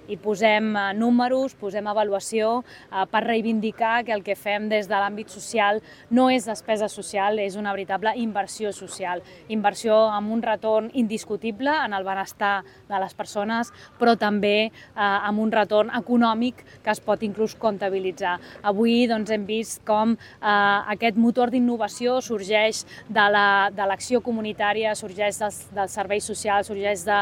i posem números, posem avaluació per reivindicar que el que fem des de l'àmbit social no és despesa social, és una veritable inversió social. Inversió amb un retorn indiscutible en el benestar de les persones, però també amb un retorn econòmic que es pot inclús comptabilitzar. Avui hem vist com aquest motor d'innovació sorgeix de l'acció comunitària, sorgeix dels serveis socials, sorgeix de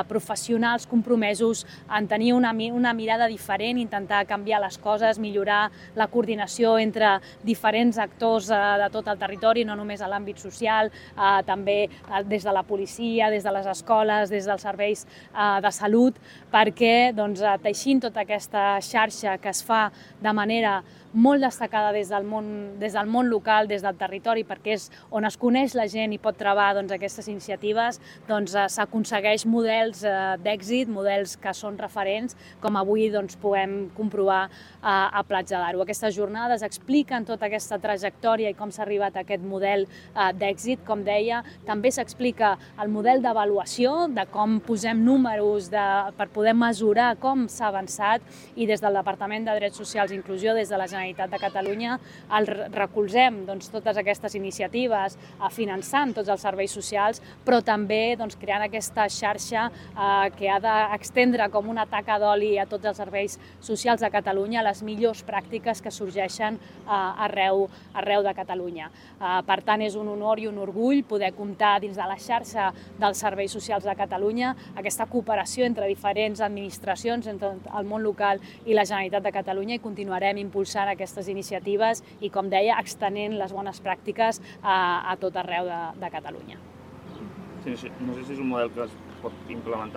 professionals compromesos en tenir una mirada diferent, intentar canviar les coses, millorar la coordinació entre diferents actors de tot el territori, no només a l'àmbit social, també des de la policia, des de les escoles, des dels serveis de salut, perquè teixint tota aquesta xarxa que es fa de manera molt destacada des del món local, des del territori, perquè és on es coneix la gent i pot trobar aquestes iniciatives, s'aconsegueix models d'èxit, models que són referents, com avui podem comprovar a Platja d'Aro. Aquestes jornades expliquen tota aquesta trajectòria i com s'ha arribat a aquest model d'èxit. Com deia, també s'explica el model d'avaluació, de com posem números per poder mesurar com s'ha avançat, i des del Departament de Drets Socials i Inclusió, des de la Generalitat de Catalunya, recolzem totes aquestes iniciatives finançant tots els serveis socials, però també creant aquesta xarxa que ha d'extendre com una taca d'oli a tots els serveis socials de Catalunya, les millors pràctiques que sorgeixen arreu de Catalunya. Per tant, és un honor i un orgull poder comptar dins de la xarxa dels serveis socials de Catalunya, aquesta cooperació entre diferents administracions, entre el món local i la Generalitat de Catalunya, i continuarem impulsant aquestes iniciatives i, com deia, extenent les bones pràctiques a tot arreu de Catalunya. Sí, no sé si és un model que es pot implementar